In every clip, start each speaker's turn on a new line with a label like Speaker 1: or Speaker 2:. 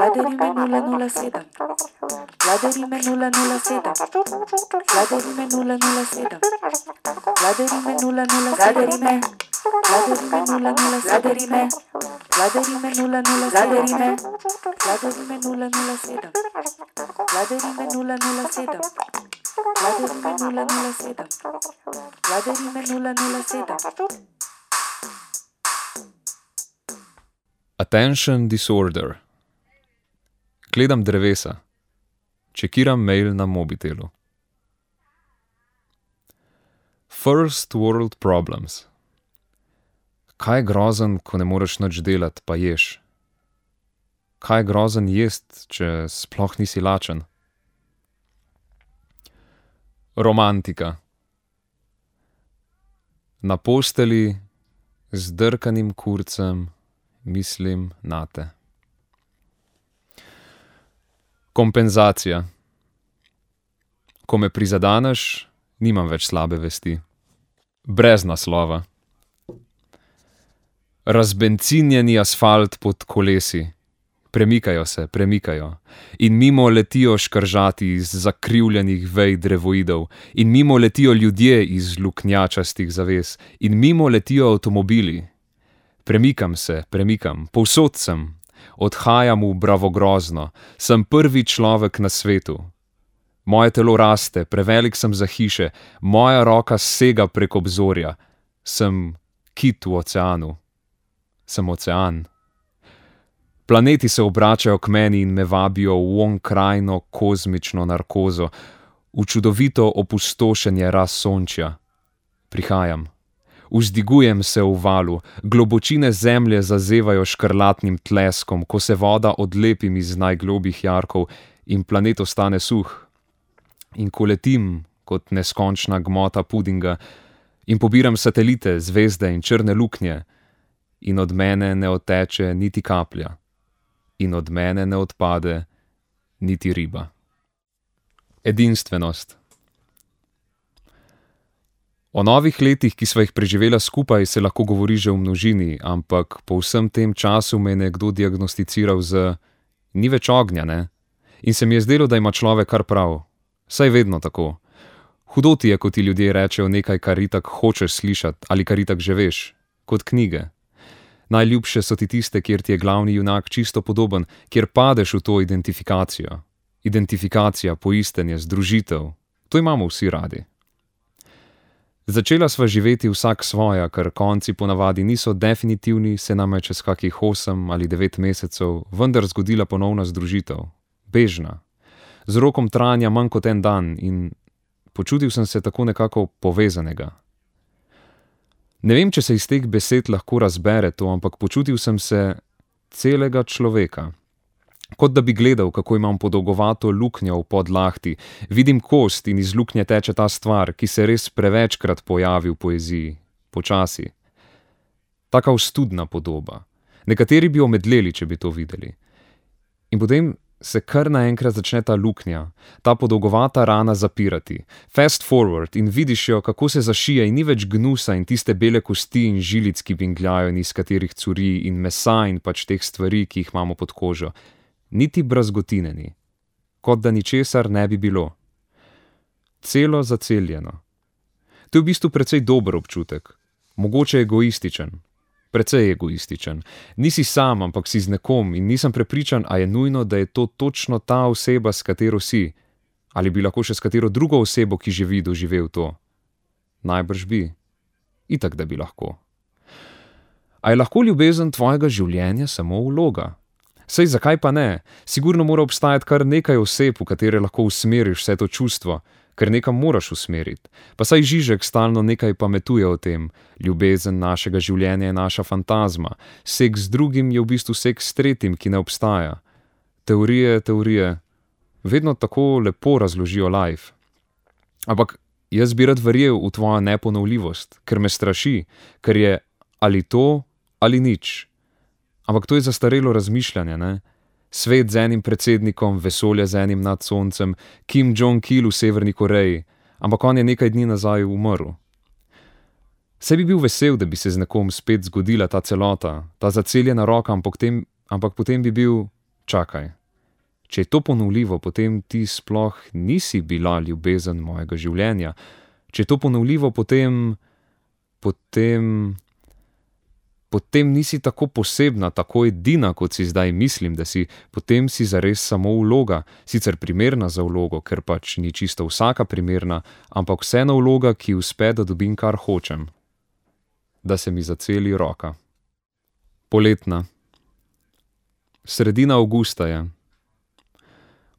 Speaker 1: Vladarime 007. Vladarime 007. Vladarime 007. Vladarime 007. Vladarime 007. Vladarime 007. Vladarime 007. Vladarime 007. Vladarime 007. Vladarime 007.
Speaker 2: Attention disorder. Gledam drevesa. Čekiram mail na mobitelu. First world problems. Kaj je grozen, ko ne moreš nič delati, pa ješ? Kaj je grozen jest, če sploh nisi lačen? Romantika. Na posteli z drkanim kurcem mislim nate. Kompenzacija. Ko me prizadaneš, nimam več slabe vesti. Brez naslova. Razbencinjeni asfalt pod kolesi. Premikajo se, premikajo. In mimo letijo škržati iz zakrivljenih vej drevoidov. In mimo letijo ljudje iz luknjačastih zaves. In mimo letijo avtomobili. Premikam se, premikam. Povsod sem. Odhajam v bravogrozno. Sem prvi človek na svetu. Moje telo raste, prevelik sem za hiše. Moja roka sega prek obzorja. Sem kit v oceanu. Sem ocean. Planeti se obračajo k meni in me vabijo v onkrajno kozmično narkozo, v čudovito opustošenje razsončja. Prihajam. Vzdigujem se v valu, globočine zemlje zazevajo škrlatnim tleskom, ko se voda odlepim iz najglobjih jarkov in planet ostane suh. In ko letim kot neskončna gmota pudinga in pobiram satelite, zvezde in črne luknje, in od mene ne odteče niti kaplja. In od mene ne odpade niti riba. Edinstvenost. O novih letih, ki sva jih preživela skupaj, se lahko govori že v množini, ampak po vsem tem času me je nekdo diagnosticiral z ni več ognja, ne? In se mi je zdelo, da ima človek kar prav. Saj vedno tako. Hudo ti je, ko ti ljudje rečejo nekaj, kar itak hočeš slišati ali kar itak že veš, kot knjige. Najljubše so ti tiste, kjer ti je glavni junak čisto podoben, kjer padeš v to identifikacijo. Identifikacija, poistenje, združitev. To imamo vsi radi. Začela sva živeti vsak svoja, ker konci ponavadi niso definitivni, se nam je čez kakih 8 ali 9 mesecev vendar zgodila ponovna združitev. Bežna. Z rokom trajanja manj kot en dan in počutil sem se tako nekako povezanega. Ne vem, če se iz teh besed lahko razbere to, ampak počutil sem se celega človeka. Kot da bi gledal, kako imam podolgovato luknjo v podlahti, vidim kost in iz luknje teče ta stvar, ki se res prevečkrat pojavi v poeziji, počasi. Taka ostudna podoba. Nekateri bi omedleli, če bi to videli. In potem se kar naenkrat začne ta luknja, ta podolgovata rana zapirati. Fast forward in vidiš jo, kako se zašije in ni več gnusa in tiste bele kosti in žilic, ki bingljajo in iz katerih curi in mesa in pač teh stvari, ki jih imamo pod kožo. Niti brazgotineni. Kot da ničesar ne bi bilo. Celo zaceljeno. To je v bistvu precej dober občutek. Mogoče egoističen. Precej egoističen. Nisi sam, ampak si z nekom in nisem prepričan, a je nujno, da je to točno ta oseba, s katero si. Ali bi lahko še s katero drugo osebo, ki živi, doživel to. Najbrž bi. Itak, da bi lahko. A je lahko ljubezen tvojega življenja samo vloga? Sej zakaj pa ne? Sigurno mora obstajati kar nekaj oseb, v katere lahko usmeriš vse to čustvo, ker nekam moraš usmeriti. Pa saj Žižek stalno nekaj pametuje o tem. Ljubezen našega življenja je naša fantazma. Seks z drugim je v bistvu seks s tretjim, ki ne obstaja. Teorije. Vedno tako lepo razložijo life. Ampak jaz bi rad verjel v tvojo neponovljivost, ker me straši, ker je ali to ali nič. Ampak to je zastarelo razmišljanje, ne? Svet z enim predsednikom, vesolje z enim nad soncem, Kim Jong-il v Severni Koreji, ampak on je nekaj dni nazaj umrl. Saj bi bil vesel, da bi se z nekom spet zgodila ta celota, ta zaceljena roka, ampak potem bi bil Čakaj, če je to ponovljivo, potem ti sploh nisi bila ljubezen mojega življenja. Če je to ponovljivo, potem nisi tako posebna, tako edina, kot si zdaj mislim, da si, potem si zares samo vloga, sicer primerna za vlogo, ker pač ni čisto vsaka primerna, ampak vseeno vloga, ki uspe, da dobim, kar hočem. Da se mi zaceli roka. Poletna. Sredina avgusta je.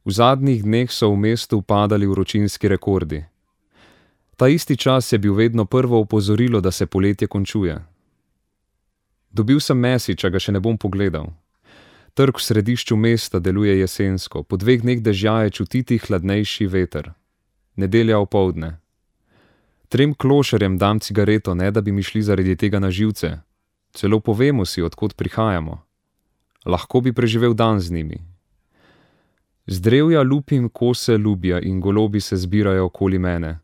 Speaker 2: V zadnjih dneh so v mestu padali vročinski rekordi. Ta isti čas je bil vedno prvo opozorilo, da se poletje končuje. Dobil sem message, a ga še ne bom pogledal. Trg v središču mesta deluje jesensko, po 2 dneh dežja je čutiti hladnejši veter. Nedelja opoldne. 3 klošarjem dam cigareto, ne da bi mi šli zaradi tega na živce. Celo povemo si, od kod prihajamo. Lahko bi preživel dan z njimi. Z drevja lupim kose lubja in golobi se zbirajo okoli mene.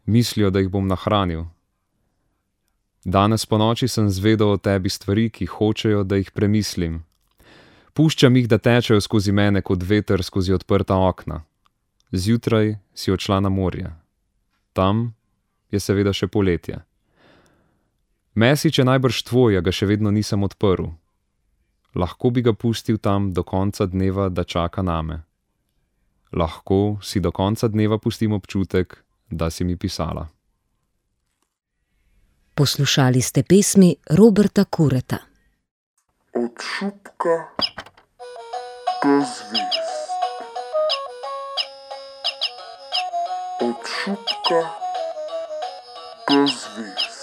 Speaker 2: Mislijo, da jih bom nahranil. Danes ponoči sem zvedel o tebi stvari, ki hočejo, da jih premislim. Puščam jih, da tečejo skozi mene kot veter skozi odprta okna. Zjutraj si odšla na morje. Tam je seveda še poletje. Mesič je najbrž tvoj, a ga še vedno nisem odprl. Lahko bi ga pustil tam do konca dneva, da čaka name. Lahko si do konca dneva pustim občutek, da si mi pisala.
Speaker 3: Poslušali ste pesmi Roberta Kureta.
Speaker 4: Od šupka do zvezd. Od šupka do zvezd.